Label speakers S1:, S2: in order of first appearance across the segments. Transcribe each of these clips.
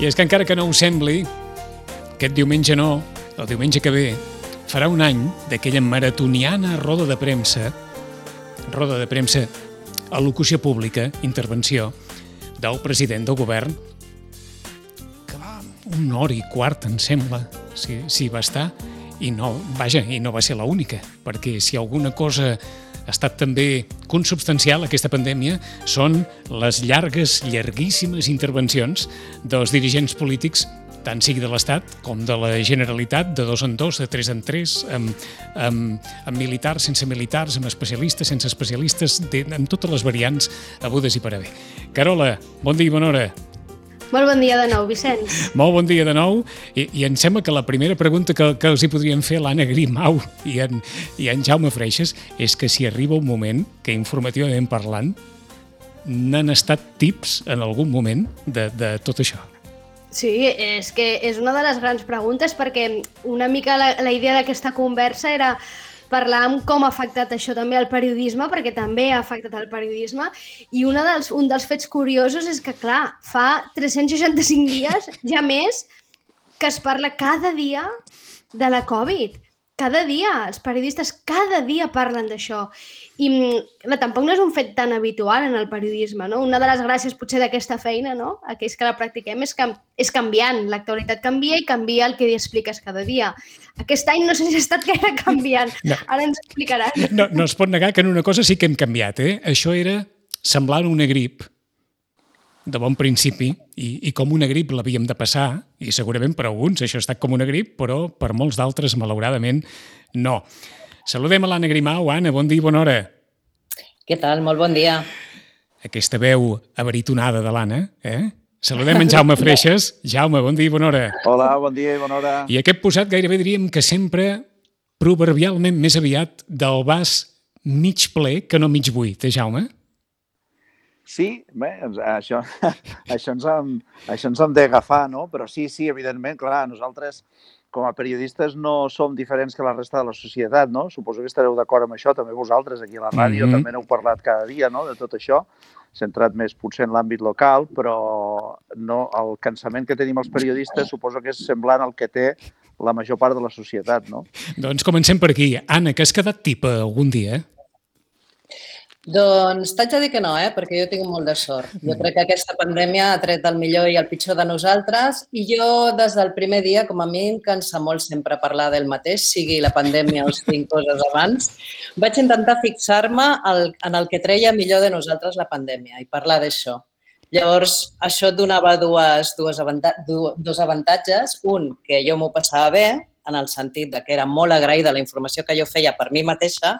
S1: és que encara que no ho sembli, aquest diumenge no, el diumenge que ve, farà un any d'aquella maratoniana roda de premsa, al·locució pública, intervenció, del president del govern, que va 1 hora i quart, em sembla, si va estar, i no va ser l'única, perquè si alguna cosa ha estat també consubstancial a aquesta pandèmia són les llarguíssimes intervencions dels dirigents polítics, tant sigui de l'Estat com de la Generalitat, de 2 en 2, de 3 en 3, amb militars, sense militars, amb especialistes, sense especialistes, amb totes les variants hagudes i per haver. Carola, bon dia i bona hora.
S2: Molt bon dia de nou, Vicenç.
S1: Molt bon dia de nou, i em sembla que la primera pregunta que els hi podrien fer l'Anna Grimau i en Jaume Freixas és que si arriba un moment que informativament parlant n'han estat tips en algun moment de tot això.
S2: Sí, és que és una de les grans preguntes perquè una mica la idea d'aquesta conversa era parlar amb com ha afectat això també al periodisme, perquè també ha afectat el periodisme, i un dels fets curiosos és que, clar, fa 365 dies, ja més, que es parla cada dia de la Covid. Cada dia, els periodistes cada dia parlen d'això. I tampoc no és un fet tan habitual en el periodisme, no? Una de les gràcies potser d'aquesta feina, no? Aquells que la practiquem, és canviant. L'actualitat canvia i canvia el que expliques cada dia. Aquest any no sé si ha estat gaire canviant. No. Ara ens explicaràs.
S1: No es pot negar que en una cosa sí que hem canviat, eh? Això era semblant una grip de bon principi, i com una grip l'havíem de passar, i segurament per alguns això ha estat com una grip, però per molts d'altres, malauradament, no. Saludem a l'Anna Grimau. Anna, bon dia i bona hora.
S3: Què tal? Molt bon dia.
S1: Aquesta veu abaritonada de l'Anna, eh? Saludem en Jaume Freixas. Jaume, bon dia i bona hora.
S4: Hola, bon dia i bona hora.
S1: I aquest posat gairebé diríem que sempre, proverbialment més aviat, del vas mig ple que no mig buit, Jaume?
S4: Sí, bé, això ens hem d'agafar, no? Però sí, evidentment, clar, nosaltres com a periodistes no som diferents que la resta de la societat, no? Suposo que estareu d'acord amb això, també vosaltres aquí a la ràdio, també n'heu parlat cada dia, no?, de tot això, centrat més potser en l'àmbit local, però no, el cansament que tenim els periodistes suposo que és semblant al que té la major part de la societat, no?
S1: Doncs comencem per aquí. Anna, que has quedat tipa algun dia?
S3: Doncs t'haig de dir que no, perquè jo tinc molt de sort. Jo crec que aquesta pandèmia ha tret el millor i el pitjor de nosaltres i jo des del primer dia, com a mi em cansa molt sempre parlar del mateix, sigui la pandèmia o siguin coses abans, vaig intentar fixar-me en el que treia millor de nosaltres la pandèmia i parlar d'això. Llavors, això et donava dos avantatges. Un, que jo m'ho passava bé, en el sentit que era molt agraïda la informació que jo feia per mi mateixa,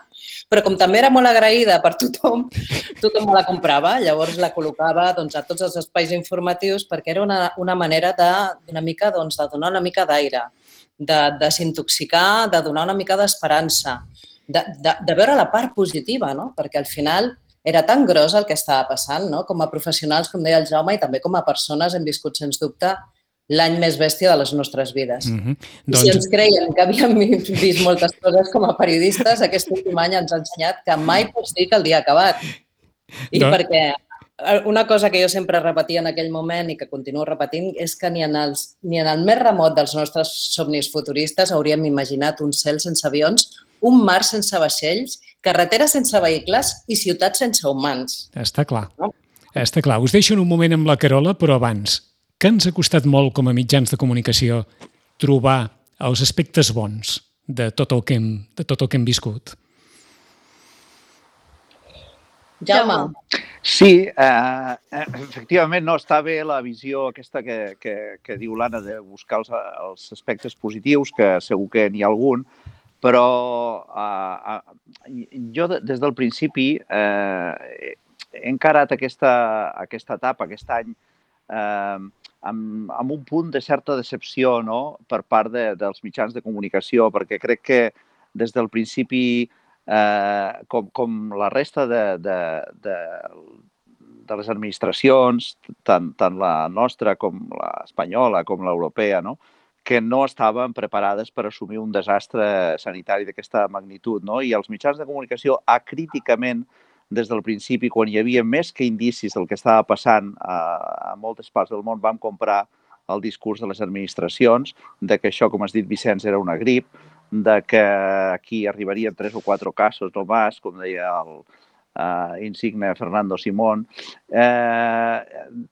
S3: però com també era molt agraïda per tothom me la comprava. Llavors la col·locava a tots els espais informatius perquè era una manera de donar una mica d'aire, de desintoxicar, de donar una mica d'esperança, de veure la part positiva, no? Perquè al final era tan gros el que estava passant, no? Com a professionals, com deia el Jaume, i també com a persones hem viscut, sens dubte, l'any més bèstia de les nostres vides. I si ens creiem que havíem vist moltes coses com a periodistes, aquest últim any ens ha ensenyat que mai pots dir que el dia ha acabat. I perquè una cosa que jo sempre repetia en aquell moment i que continuo repetint és que ni en el més remot dels nostres somnis futuristes hauríem imaginat un cel sense avions, un mar sense vaixells, carreteres sense vehicles i ciutats sense humans.
S1: Està clar. Està clar. Us deixo en un moment amb la Carola, però abans, que ens ha costat molt com a mitjans de comunicació trobar els aspectes bons de tot el que hem viscut.
S3: Jaume.
S4: Sí, efectivament, no, està bé la visió aquesta que diu l'Anna de buscar els aspectes positius, que segur que n'hi ha algun, però jo des del principi he encarat aquesta etapa, aquest any, amb un punt de certa decepció, no?, per part dels mitjans de comunicació, perquè crec que des del principi, com la resta de les administracions, tant la nostra com l'espanyola com l'europea, no?, que no estaven preparades per assumir un desastre sanitari d'aquesta magnitud, no? I els mitjans de comunicació acríticament, des del principi, quan hi havia més que indicis del que estava passant a moltes parts del món, vam comprar el discurs de les administracions, de que això, com has dit, Vicenç, era una grip, de que aquí arribarien 3 o 4 casos no més, com deia el insigne Fernando Simón.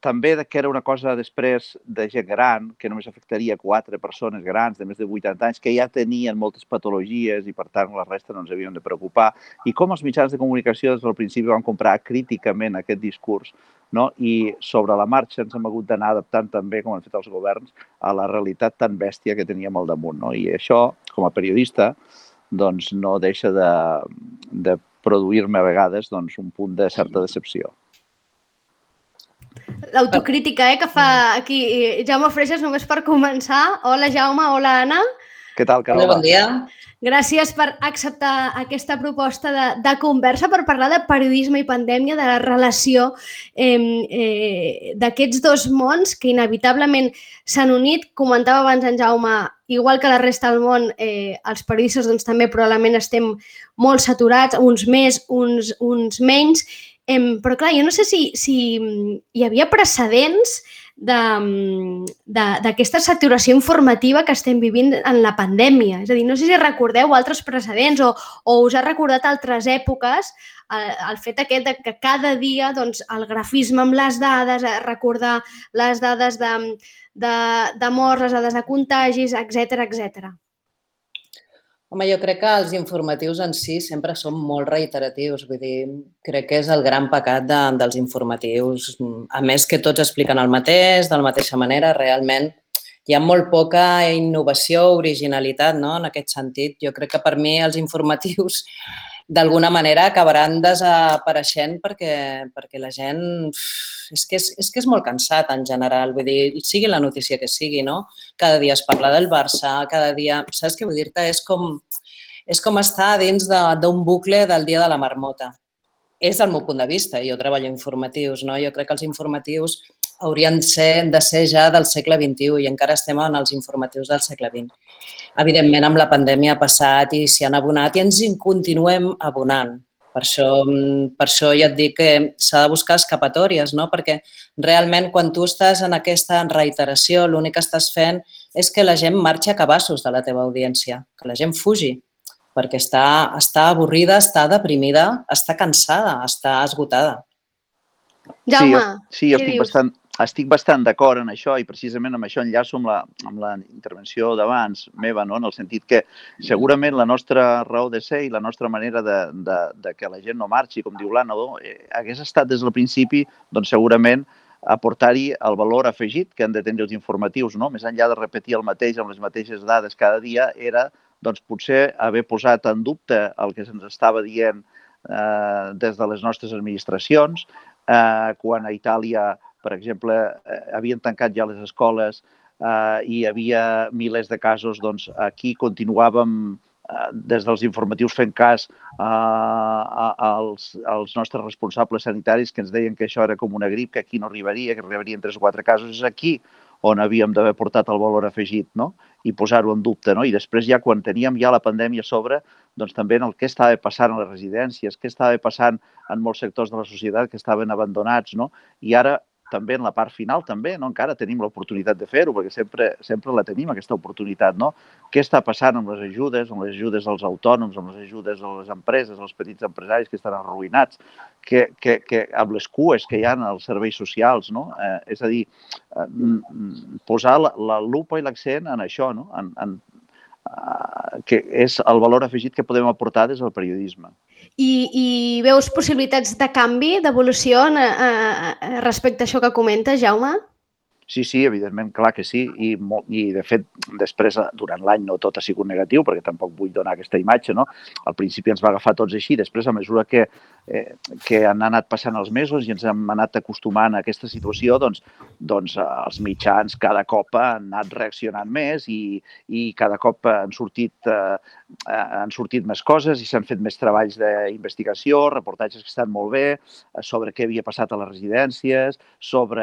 S4: També que era una cosa després de gent gran, que només afectaria 4 persones grans de més de 80 anys, que ja tenien moltes patologies i, per tant, la resta no ens havíem de preocupar. I com els mitjans de comunicació des del principi van comprar críticament aquest discurs, no? I sobre la marxa ens hem hagut d'anar adaptant també, com han fet els governs, a la realitat tan bèstia que teníem al damunt, no? I això, com a periodista, doncs no deixa de produir-me a vegades un punt de certa decepció.
S2: L'autocrítica que fa aquí Jaume Freixas, només per començar. Hola, Jaume. Hola, Anna.
S4: Què tal, Carola?
S3: Bon dia.
S2: Gràcies per acceptar aquesta proposta de conversa per parlar de periodisme i pandèmia, de la relació d'aquests dos mons que inevitablement s'han unit. Comentava abans en Jaume, igual que la resta del món, els periodistes també probablement estem molt saturats, uns més, uns menys, però clar, jo no sé si hi havia precedents d'aquesta saturació informativa que estem vivint en la pandèmia. És a dir, no sé si recordeu altres precedents o us ha recordat altres èpoques el fet aquest que cada dia el grafisme amb les dades, recordar les dades de morts, les dades de contagis, etc.
S3: Home, jo crec que els informatius en si sempre són molt reiteratius. Vull dir, crec que és el gran pecat dels informatius. A més que tots expliquen el mateix, de la mateixa manera, realment hi ha molt poca innovació, originalitat, no? En aquest sentit. Jo crec que per mi els informatius d'alguna manera acabaran desapareixent perquè la gent... És que és molt cansat en general, vull dir, sigui la notícia que sigui, no? Cada dia es parla del Barça, cada dia... Saps què vull dir-te? És com estar dins d'un bucle del dia de la marmota. És el meu punt de vista, jo treballo informatius, no? Jo crec que els informatius haurien de ser ja del segle XXI i encara estem en els informatius del segle XX. Evidentment, amb la pandèmia ha passat i s'hi han abonat i ens hi continuem abonant. Per això ja et dic que s'ha de buscar escapatòries, no? Perquè realment quan tu estàs en aquesta reiteració l'únic que estàs fent és que la gent marxi a cabassos de la teva audiència, que la gent fugi, perquè està avorrida, està deprimida, està cansada, està esgotada.
S2: Jaume,
S4: sí, estic bastant d'acord en això i precisament amb això enllaço amb la intervenció d'abans meva, no? En el sentit que segurament la nostra raó de ser i la nostra manera de que la gent no marxi, com diu l'Anna, hagués estat des del principi segurament aportar-hi el valor afegit que han de tenir els informatius, no? Més enllà de repetir el mateix amb les mateixes dades cada dia, era potser haver posat en dubte el que se'ns estava dient des de les nostres administracions, quan a Itàlia, per exemple, havien tancat ja les escoles i hi havia milers de casos, doncs aquí continuàvem des dels informatius fent cas als nostres responsables sanitaris que ens deien que això era com una grip, que aquí no arribaria, que arribarien 3 o 4 casos. És aquí on havíem d'haver portat el valor afegit, no? I posar-ho en dubte, no? I després ja quan teníem ja la pandèmia a sobre, doncs també en el que estava passant a les residències, què estava passant en molts sectors de la societat que estaven abandonats, no? I ara també en la part final també, no? Encara tenim l'oportunitat de fer-ho, perquè sempre la tenim, aquesta oportunitat, no? Què està passant amb les ajudes als autònoms, amb les ajudes a les empreses, als petits empresaris que estan arruïnats, amb les cues que hi ha als serveis socials, no? És a dir, posar la lupa i l'accent en això, no? Que és el valor afegit que podem aportar des del periodisme.
S2: I veus possibilitats de canvi, d'evolució respecte a això que comentes, Jaume?
S4: Sí, evidentment, clar que sí. I de fet, després, durant l'any, no tot ha sigut negatiu, perquè tampoc vull donar aquesta imatge, no? Al principi ens va agafar tots així, després, a mesura que han anat passant els mesos i ens hem anat acostumant a aquesta situació, doncs els mitjans cada cop han anat reaccionant més i cada cop han sortit més coses i s'han fet més treballs d'investigació, reportatges que estan molt bé, sobre què havia passat a les residències, sobre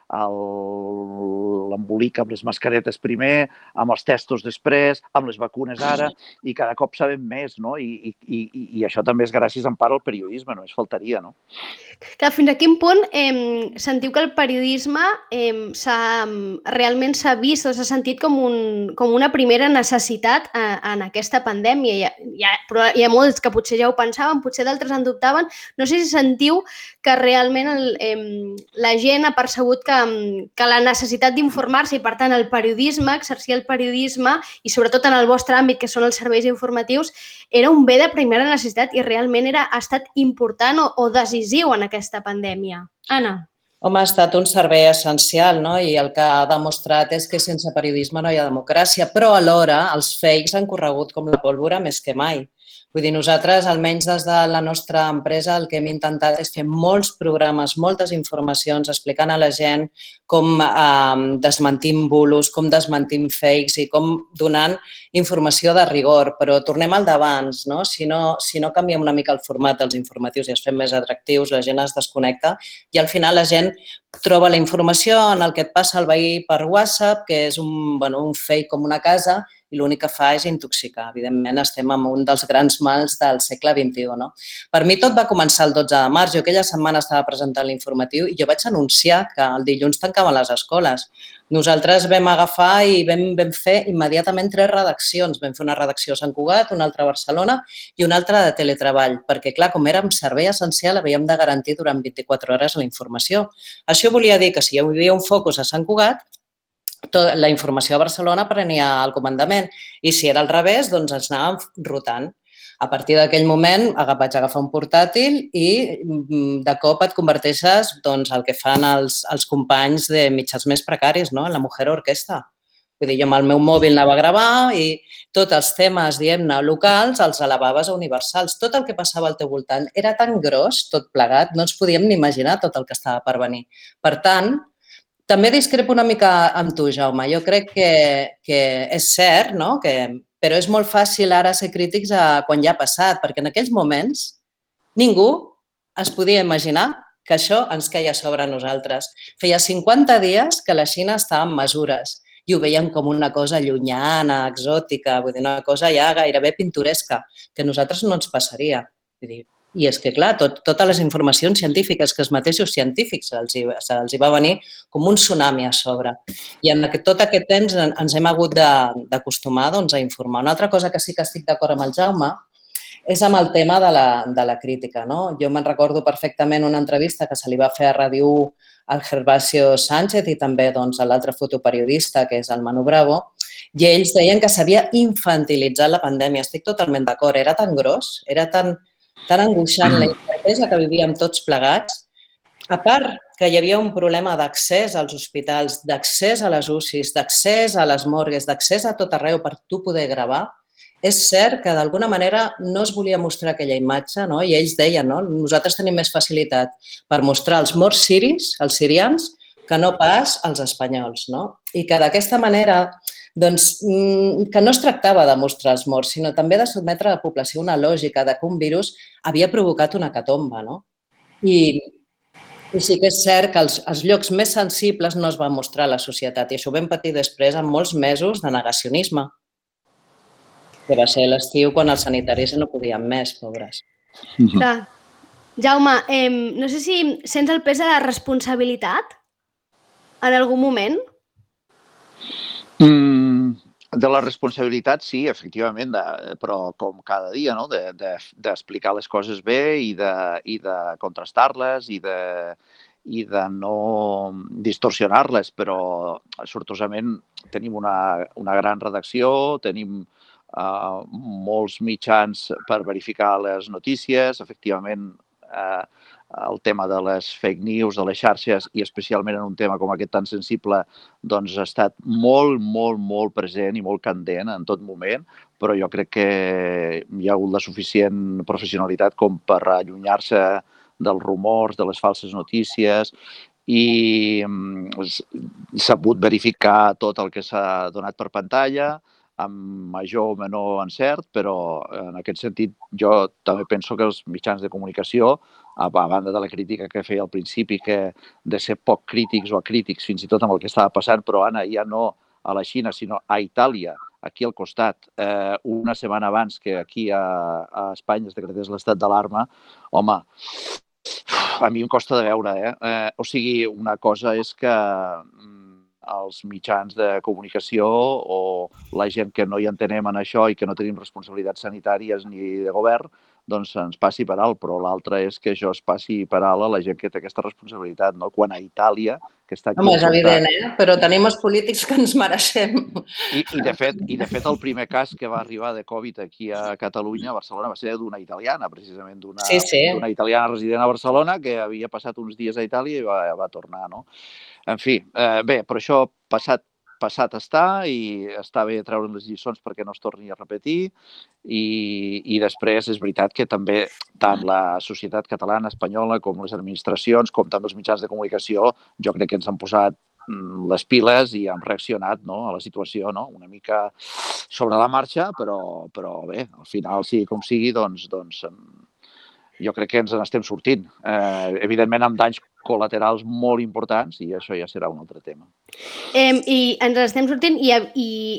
S4: l'embolic amb les mascaretes primer, amb els testos després, amb les vacunes ara, i cada cop sabem més, no? I això també és gràcies en part al periodisme, només faltaria, no?
S2: Clar, fins a quin punt sentiu que el periodisme realment s'ha vist o s'ha sentit com una primera necessitat en aquesta pandèmia? Hi ha molts que potser ja ho pensaven, potser d'altres en dubtaven. No sé si sentiu que realment la gent ha percebut que la necessitat d'informar-se i, per tant, el periodisme, exercir el periodisme i sobretot en el vostre àmbit, que són els serveis informatius, era un bé de primera necessitat i realment ha estat important o decisiu en aquesta pandèmia. Anna.
S3: Home, ha estat un servei essencial, no? I el que ha demostrat és que sense periodisme no hi ha democràcia, però alhora els fakes han corregut com la pólvora més que mai. Vull dir, nosaltres, almenys des de la nostra empresa, el que hem intentat és fer molts programes, moltes informacions, explicant a la gent com desmentim bulos, com desmentim fakes i com donant informació de rigor. Però tornem al d'abans, no? Si no canviem una mica el format dels informatius i els fem més atractius, la gent es desconnecta i al final la gent troba la informació en el que et passa el veí per WhatsApp, que és un fake com una casa, i l'únic que fa és intoxicar. Evidentment, estem en un dels grans mals del segle XXI. No? Per mi tot va començar el 12 de març. Jo aquella setmana estava presentant l'informatiu i jo vaig anunciar que el dilluns tancaven les escoles. Nosaltres vam agafar i vam fer immediatament 3 redaccions. Vam fer una redacció a Sant Cugat, una altra a Barcelona i una altra de teletreball, perquè, clar, com érem servei essencial, havíem de garantir durant 24 hores la informació. Això volia dir que si hi havia un focus a Sant Cugat, la informació a Barcelona prenia el comandament i si era al revés, doncs ens anàvem rotant. A partir d'aquell moment vaig agafar un portàtil i de cop et converteixes doncs, el que fan els companys de mitjans més precaris, no? La mujer orquestra. Vull dir, jo amb el meu mòbil anava a gravar i tots els temes, diguem-ne, locals els elevaves a universals. Tot el que passava al teu voltant era tan gros, tot plegat, no ens podíem ni imaginar tot el que estava per venir. Per tant, també discrepo una mica amb tu, Jaume. Jo crec que és cert, no? Però és molt fàcil ara ser crítics quan ja ha passat, perquè en aquells moments ningú es podia imaginar que això ens queia sobre nosaltres. Feia 50 dies que la Xina estava en mesures i ho veiem com una cosa llunyana, exòtica, vull dir, una cosa ja gairebé pintoresca, que a nosaltres no ens passaria. Vull dir, i és que, clar, totes les informacions científiques que els mateixos científics els hi va venir com un tsunami a sobre. I en tot aquest temps ens hem hagut d'acostumar a informar. Una altra cosa que sí que estic d'acord amb el Jaume és amb el tema de la crítica. No? Jo me'n recordo perfectament una entrevista que se li va fer a Ràdio 1 al Gervasio Sánchez i també a l'altre fotoperiodista, que és el Manu Bravo, i ells deien que s'havia infantilitzat la pandèmia. Estic totalment d'acord. Era tan gros, era tan angoixant la incertesa que vivíem tots plegats. A part que hi havia un problema d'accés als hospitals, d'accés a les UCIs, d'accés a les morgues, d'accés a tot arreu per tu poder gravar, és cert que d'alguna manera no es volia mostrar aquella imatge, no? I ells deien, no? Nosaltres tenim més facilitat per mostrar els morts siris, els sirians, que no pas els espanyols, no? I que d'aquesta manera, doncs, que no es tractava de mostrar els morts, sinó també de sotmetre a la població una lògica de que un virus havia provocat una hecatombe, no? I sí que és cert que els llocs més sensibles no es van mostrar a la societat i això ho vam patir després amb molts mesos de negacionisme, que va ser l'estiu quan els sanitaris no podien més, pobres.
S2: Clar. Jaume, no sé si sents el pes de la responsabilitat en algun moment?
S4: De la responsabilitat, sí, efectivament, però com cada dia, no? D'explicar les coses bé i de contrastar-les i de no distorsionar-les, però sortosament tenim una gran redacció, tenim molts mitjans per verificar les notícies, efectivament el tema de les fake news, de les xarxes i especialment en un tema com aquest tan sensible doncs ha estat molt, molt, molt present i molt candent en tot moment, però jo crec que hi ha hagut la suficient professionalitat com per allunyar-se dels rumors, de les falses notícies i s'ha pogut verificar tot el que s'ha donat per pantalla amb major o menor encert, però en aquest sentit jo també penso que els mitjans de comunicació a banda de la crítica que feia al principi, que de ser poc crítics o acrítics fins i tot amb el que estava passant, però Anna, ja no a la Xina, sinó a Itàlia, aquí al costat, una setmana abans que aquí a Espanya es decretés l'estat d'alarma, home, a mi em costa de veure, O sigui, una cosa és que els mitjans de comunicació o la gent que no hi entenem en això i que no tenim responsabilitats sanitàries ni de govern, doncs ens passi per alt, però l'altre és que això es passi per alt a la gent que té aquesta responsabilitat, no? Quan a Itàlia, que està aquí...
S3: Home, és evident, però tenim els polítics que ens mereixem.
S4: I de fet, el primer cas que va arribar de Covid aquí a Catalunya, a Barcelona, va ser d'una italiana, precisament, d'una italiana resident a Barcelona que havia passat uns dies a Itàlia i va tornar, no? En fi, bé, però això passat està i està bé treure les lliçons perquè no es torni a repetir i després és veritat que també tant la societat catalana, espanyola, com les administracions, com també els mitjans de comunicació, jo crec que ens han posat les piles i hem reaccionat, no, a la situació, no? Una mica sobre la marxa, però bé, al final, sigui com sigui, doncs jo crec que ens n'estem sortint. Evidentment, amb danys col·laterals molt importants i això ja serà un altre tema.
S2: I ens estem sortint i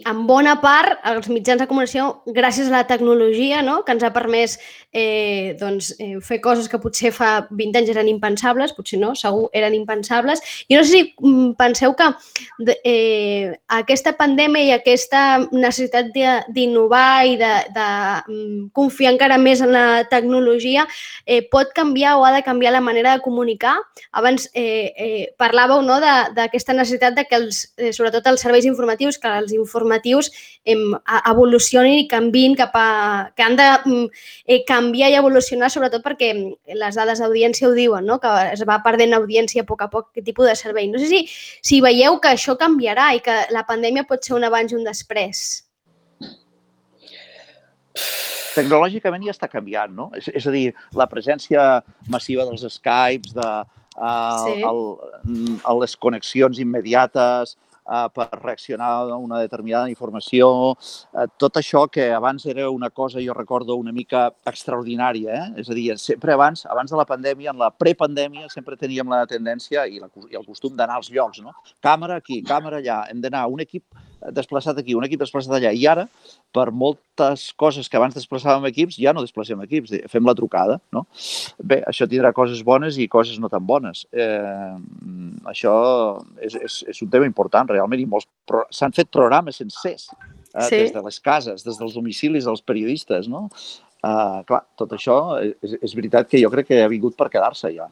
S2: en bona part els mitjans de comunicació, gràcies a la tecnologia, no?, que ens ha permès fer coses que potser fa 20 anys eren impensables, potser no, segur eren impensables. I no sé si penseu que aquesta pandèmia i aquesta necessitat d'innovar i de confiar encara més en la tecnologia pot canviar o ha de canviar la manera de comunicar. Abans parlàveu, no?, d'aquesta necessitat de que sobretot els serveis informatius, que els informatius evolucionin i canviïn que han de canviar i evolucionar, sobretot perquè les dades d'audiència ho diuen, no?, que es va perdent audiència a poc aquest tipus de servei. No sé si veieu que això canviarà i que la pandèmia pot ser un abans i un després.
S4: Tecnològicament ja està canviant, no? És a dir, la presència massiva dels Skypes, les connexions immediates per reaccionar a una determinada informació, tot això que abans era una cosa, jo recordo, una mica extraordinària, És a dir, sempre abans de la pandèmia, en la prepandèmia, sempre teníem la tendència i el costum d'anar als llocs, no? Càmera aquí, càmera allà, hem d'anar un equip desplaçat aquí, un equip desplaçat allà. I ara, per moltes coses que abans desplaçàvem equips, ja no desplacem equips, fem la trucada, no? Bé, això tindrà coses bones i coses no tan bones. Això és un tema important, realment, i s'han fet programes sencers des de les cases, des dels domicilis dels periodistes, no? Clar, tot això és veritat que jo crec que ha vingut per quedar-se ja.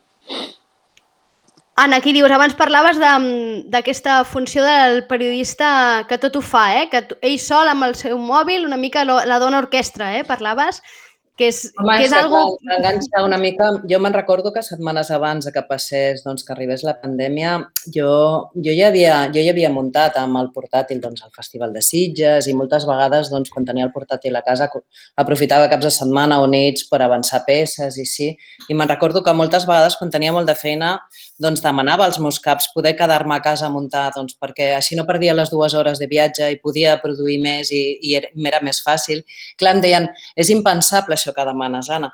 S2: Anna, aquí dius, abans parlaves d'aquesta funció del periodista que tot ho fa, que ell sol amb el seu mòbil una mica la dona orquestra, parlaves, que és algo...
S3: Enganxa una mica. Jo me'n recordo que setmanes abans que passés, que arribés la pandèmia, jo ja havia muntat amb el portàtil el Festival de Sitges i moltes vegades, quan tenia el portàtil a casa, aprofitava caps de setmana o nits per avançar peces i sí. I me'n recordo que moltes vegades, quan tenia molt de feina, demanava als meus caps poder quedar-me a casa a muntar, perquè així no perdia les 2 hores de viatge i podia produir més i m'era més fàcil. Clar, em deien, és impensable això que demanes, Anna.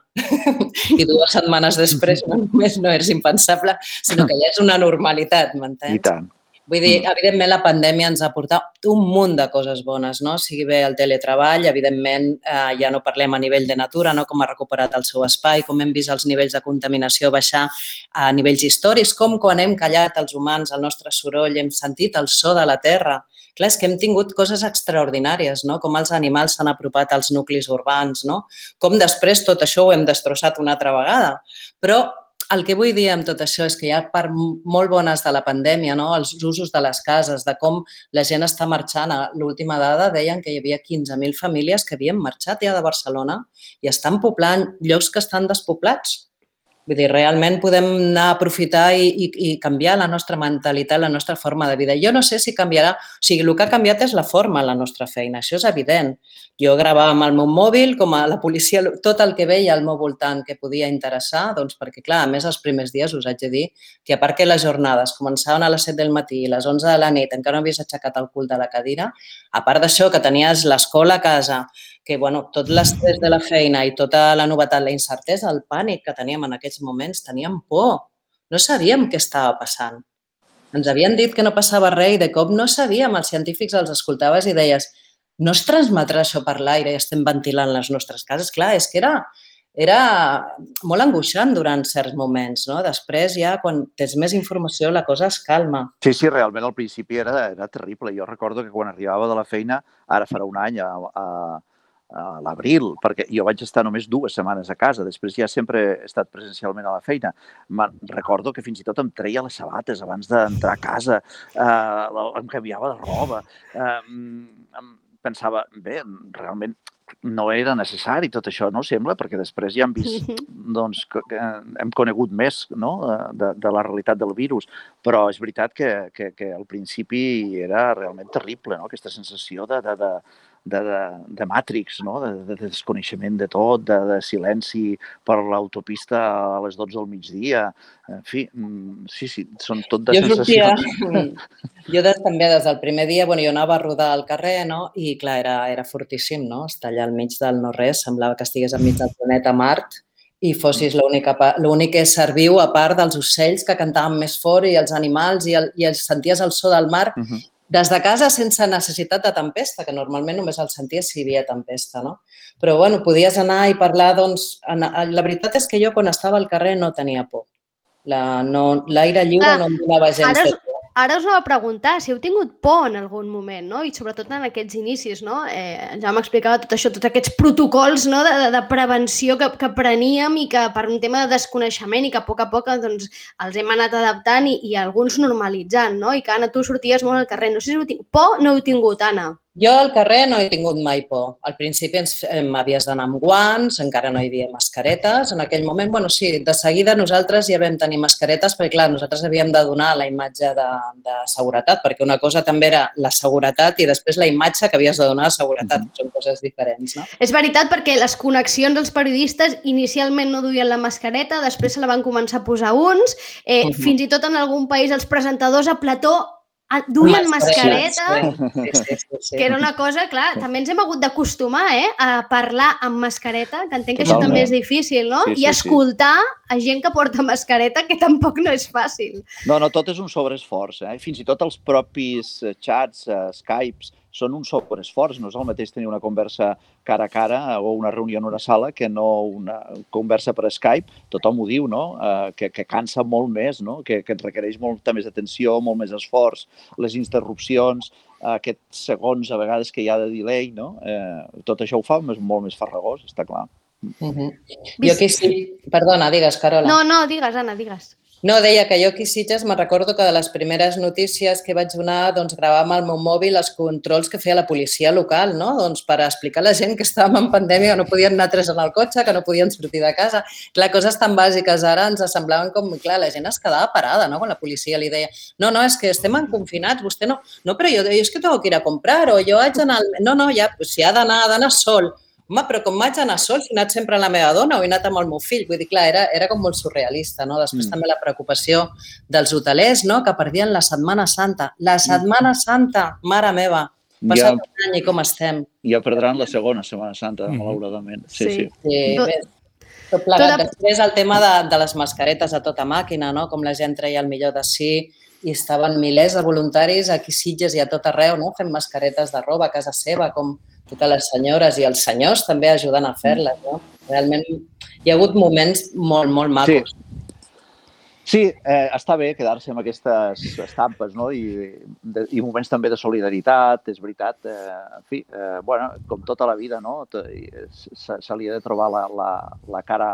S3: I 2 setmanes després només no és impensable, sinó que ja és una normalitat, m'entens?
S4: I tant.
S3: Vull dir, evidentment, la pandèmia ens ha portat un munt de coses bones, no? Sigui bé el teletreball, evidentment, ja no parlem a nivell de natura, no? Com ha recuperat el seu espai, com hem vist els nivells de contaminació baixar a nivells històrics, com quan hem callat els humans el nostre soroll, hem sentit el so de la terra. Clar, és que hem tingut coses extraordinàries, no? Com els animals s'han apropat als nuclis urbans, no? Com després tot això ho hem destrossat una altra vegada. Però el que vull dir amb tot això és que hi ha part molt bones de la pandèmia, no? Els usos de les cases, de com la gent està marxant. A l'última dada deien que hi havia 15.000 famílies que havien marxat ja de Barcelona i estan poblant llocs que estan despoblats. Vull dir, realment podem anar a aprofitar i canviar la nostra mentalitat, la nostra forma de vida. Jo no sé si canviarà, o sigui, el que ha canviat és la forma en la nostra feina, això és evident. Jo gravava amb el meu mòbil, com a la policia, tot el que veia al meu voltant que podia interessar, perquè, clar, a més, els primers dies us haig de dir que a part que les jornades començaven a les 7 del matí i a les 11 de la nit, encara no havies aixecat el cul de la cadira, a part d'això, que tenies l'escola a casa, que tot l'estrès de la feina i tota la novetat, la incertesa, el pànic que teníem en aquests moments, teníem por. No sabíem què estava passant. Ens havien dit que no passava res i de cop no sabíem. Els científics els escoltaves i deies no es transmetrà això per l'aire i estem ventilant les nostres cases. Clar, és que era molt angoixant durant certs moments, no? Després ja, quan tens més informació, la cosa es calma.
S4: Sí, realment al principi era terrible. Jo recordo que quan arribava de la feina, ara farà un any, a l'abril, perquè jo vaig estar només 2 setmanes a casa, després ja sempre he estat presencialment a la feina. Recordo que fins i tot em treia les sabates abans d'entrar a casa, em canviava de roba, pensava, bé, realment no era necessari tot això, no sembla, perquè després ja hem vist, doncs, que hem conegut més de la realitat del virus, però és veritat que al principi era realment terrible, no? Aquesta sensació de Matrix, no? De desconeixement de tot, de silenci per l'autopista a les 12 del migdia. En fi, sí, són tot de sensacions.
S3: Jo també des del primer dia, jo anava a rodar al carrer, no? I clar, era fortíssim, no? Estar allà al mig del no-res, semblava que estigués al mig del planeta Mart i fossis l'únic ésser viu, a part dels ocells que cantaven més fort i els animals i senties el so del mar. Des de casa sense necessitat de tempesta, que normalment només el senties si hi havia tempesta, no? Però, podies anar i parlar, doncs... La veritat és que jo, quan estava al carrer, no tenia por. L'aire lliure no em donava gens de por.
S2: Ara us anava a preguntar si heu tingut por en algun moment, no? I sobretot en aquests inicis, no? Ja m'explicava tot això, tots aquests protocols de prevenció que preníem i que per un tema de desconeixement i que a poc doncs, els hem anat adaptant i alguns normalitzant, no? I que, Anna, tu sorties molt al carrer. No sé si heu tingut por, no heu tingut, Anna?
S3: Jo al carrer no he tingut mai por. Al principi m'havies d'anar amb guants, encara no hi havia mascaretes. En aquell moment, sí, de seguida nosaltres ja vam tenir mascaretes perquè, clar, nosaltres havíem de donar la imatge de seguretat, perquè una cosa també era la seguretat i després la imatge que havies de donar de seguretat. Són coses diferents, no?
S2: És veritat, perquè les connexions dels periodistes inicialment no duien la mascareta, després se la van començar a posar uns, fins i tot en algun país els presentadors a plató duien mascareta,
S3: sí.
S2: que era una cosa, clar, també ens hem hagut d'acostumar a parlar amb mascareta, que entenc que això també és difícil, no? I escoltar a gent que porta mascareta, que tampoc no és fàcil.
S4: No, tot és un sobreesforç. Fins i tot els propis xats, Skypes, són un sobreesforç. No és el mateix tenir una conversa cara a cara o una reunió en una sala que no una conversa per Skype. Tothom ho diu, no? Que cansa molt més, no? Que et requereix molta més atenció, molt més esforç, les interrupcions, aquests segons a vegades que hi ha de delay, no? Tot això ho fa molt més farragós, està clar.
S3: Jo aquí sí... Perdona, digues, Carola.
S2: No, digues, Anna, digues.
S3: No, deia que jo aquí a Sitges me'n recordo que de les primeres notícies que vaig donar, doncs gravava amb el meu mòbil els controls que feia la policia local, no? Doncs per explicar a la gent que estàvem en pandèmia, que no podien anar 3 en el cotxe, que no podien sortir de casa. Clar, coses tan bàsiques ara ens semblaven com... Clar, la gent es quedava parada, no? Quan la policia li deia no, és que estem confinats, vostè no... No, però jo és que tengo que ir a comprar o jo haig d'anar... No, ja, si ha d'anar sol. Home, però com vaig anar sol, si he anat sempre amb la meva dona o he anat amb el meu fill? Vull dir, clar, era com molt surrealista, no? Després també la preocupació dels hotelers, no?, que perdien la Setmana Santa. La Setmana Santa, mare meva, passat un any i com estem.
S4: Ja perdran la segona Setmana Santa, malauradament. Sí.
S3: Tot plegat. Després el tema de les mascaretes a tota màquina, no?, com la gent treia el millor de si i estaven milers de voluntaris aquí a Sitges i a tot arreu, no?, fent mascaretes de roba a casa seva, com totes les senyores i els senyors també ajudant a fer-les, no? Realment hi ha hagut moments molt, molt macos.
S4: Sí, està bé quedar-se amb aquestes estampes, no? I moments també de solidaritat, és veritat. En fi, com tota la vida, no? Se li ha de trobar la cara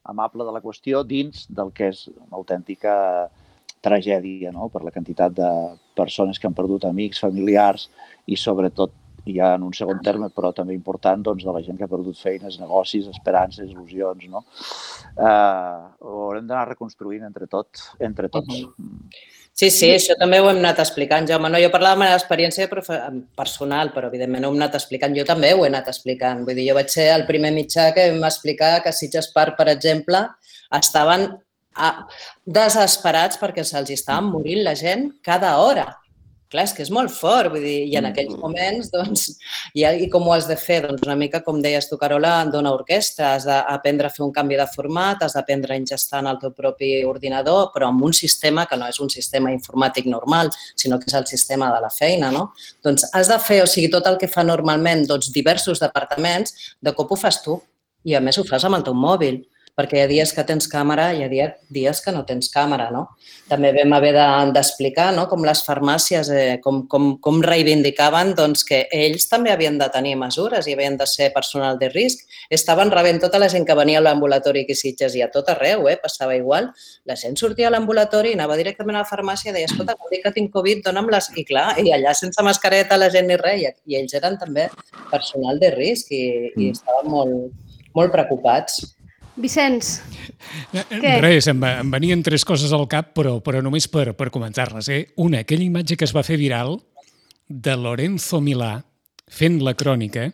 S4: amable de la qüestió dins del que és una autèntica tragèdia, no? Per la quantitat de persones que han perdut amics, familiars i sobretot ja en un segon terme, però també important, doncs, de la gent que ha perdut feines, negocis, esperances, il·lusions, no? Ho haurem d'anar reconstruint entre tots.
S3: Sí, això també ho hem anat explicant, Jaume. Jo parlava de la meva experiència personal, però evidentment ho hem anat explicant. Jo també ho he anat explicant. Vull dir, jo vaig ser el primer mitjà que vam explicar que Sitges Park, per exemple, estaven desesperats perquè se'ls estava morint la gent cada hora. Clar, és que és molt fort, vull dir, i en aquells moments, doncs, i com ho has de fer? Doncs una mica, com deies tu, Carola, en Dona Orquestra, has d'aprendre a fer un canvi de format, has d'aprendre a ingestar en el teu propi ordinador, però amb un sistema que no és un sistema informàtic normal, sinó que és el sistema de la feina, no? Doncs has de fer, o sigui, tot el que fa normalment doncs, diversos departaments, de cop ho fas tu, i a més ho fas amb el teu mòbil, perquè hi ha dies que tens càmera i hi ha dies que no tens càmera, no? També vam haver d'explicar, no?, com les farmàcies, com reivindicaven doncs, que ells també havien de tenir mesures i havien de ser personal de risc. Estaven rebent tota la gent que venia a l'ambulatori aquí a Sitges i a tot arreu, passava igual. La gent sortia a l'ambulatori i anava directament a la farmàcia i deia, escolta, em dic que tinc Covid, dona'm-les. I clar, i allà sense mascareta la gent ni res. I ells eren també personal de risc i estaven molt preocupats.
S2: Vicenç, què?
S1: Res, em venien 3 coses al cap, però només per comentar-les. Una, aquella imatge que es va fer viral de Lorenzo Milà fent la crònica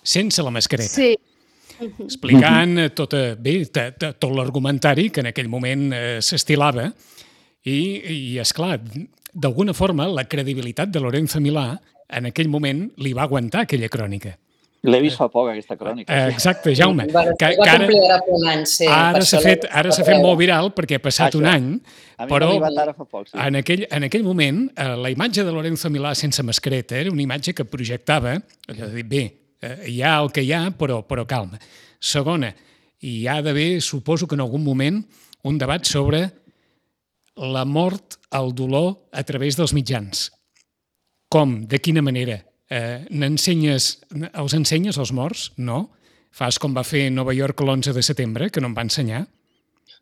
S1: sense la mascareta.
S2: Sí.
S1: Explicant tot l'argumentari que en aquell moment s'estilava i esclar, d'alguna forma, la credibilitat de Lorenzo Milà en aquell moment li va aguantar aquella crònica.
S4: L'he vist fa poc, aquesta crònica.
S1: Exacte, Jaume.
S3: Ara
S1: s'ha fet molt viral perquè ha passat un any, però en aquell moment la imatge de Lorenzo Milà sense mascareta era una imatge que projectava, bé, hi ha el que hi ha, però calma. Segona, hi ha d'haver, suposo que en algun moment, un debat sobre la mort, el dolor a través dels mitjans. Com? De quina manera? Els ensenyes als morts? No. Fas com va fer Nova York l'11 de setembre, que no em va ensenyar.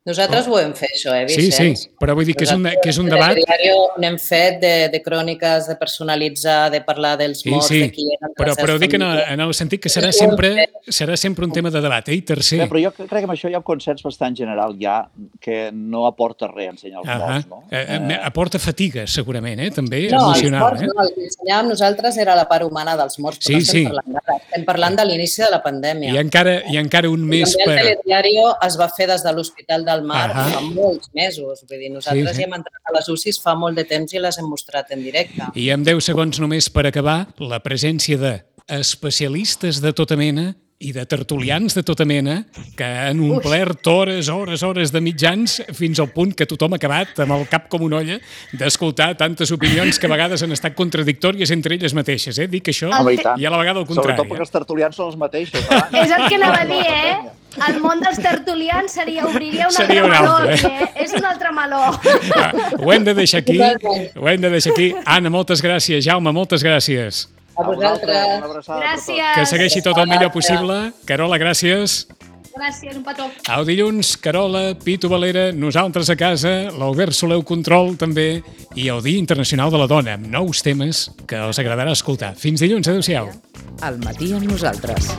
S3: Nosaltres ho hem fet, això, Vicenç?
S1: Sí, però vull dir que és un debat...
S3: N'hem fet de cròniques, de personalitzar, de parlar dels morts, de qui eren...
S1: Però dic en el sentit que serà sempre un tema de debat. I tercer...
S4: Però jo crec que amb això hi ha un consens bastant general ja que no aporta res ensenyar els morts, no?
S1: Aporta fatiga, segurament, també,
S3: emocional.
S1: No,
S3: els morts no, el que ensenyàvem nosaltres era la part humana dels morts, però no estem parlant d'ara. Estem parlant de l'inici de la pandèmia.
S1: I encara un mes per...
S3: També el telediari es va fer des de l'Hospital del Mar fa molts mesos. Vull dir, nosaltres ja hem entrat a les UCIs fa molt de temps i les hem mostrat en directe.
S1: I amb 10 segons només per acabar, la presència d'especialistes de tota mena i de tertulians de tota mena que han omplert hores de mitjans fins al punt que tothom ha acabat amb el cap com una olla d'escoltar tantes opinions que a vegades han estat contradictòries entre elles mateixes. Dic això i a la vegada el contrari.
S4: Sobretot perquè els tertulians són els mateixos.
S2: És el que anava a dir, El món dels tertulians obriria un altre meló. És un altre meló.
S1: Ho hem de deixar aquí. Anna, moltes gràcies. Jaume, moltes gràcies.
S3: A vosaltres.
S2: Gràcies.
S1: Que segueixi tot el millor possible. Carola, gràcies.
S2: Gràcies, un petó.
S1: Au dilluns, Carola, Pitu Valera, nosaltres a casa, l'Albert Soleu Control també, i el Dia Internacional de la Dona, amb nous temes que els agradarà escoltar. Fins dilluns, adéu-siau.
S5: Al matí amb nosaltres.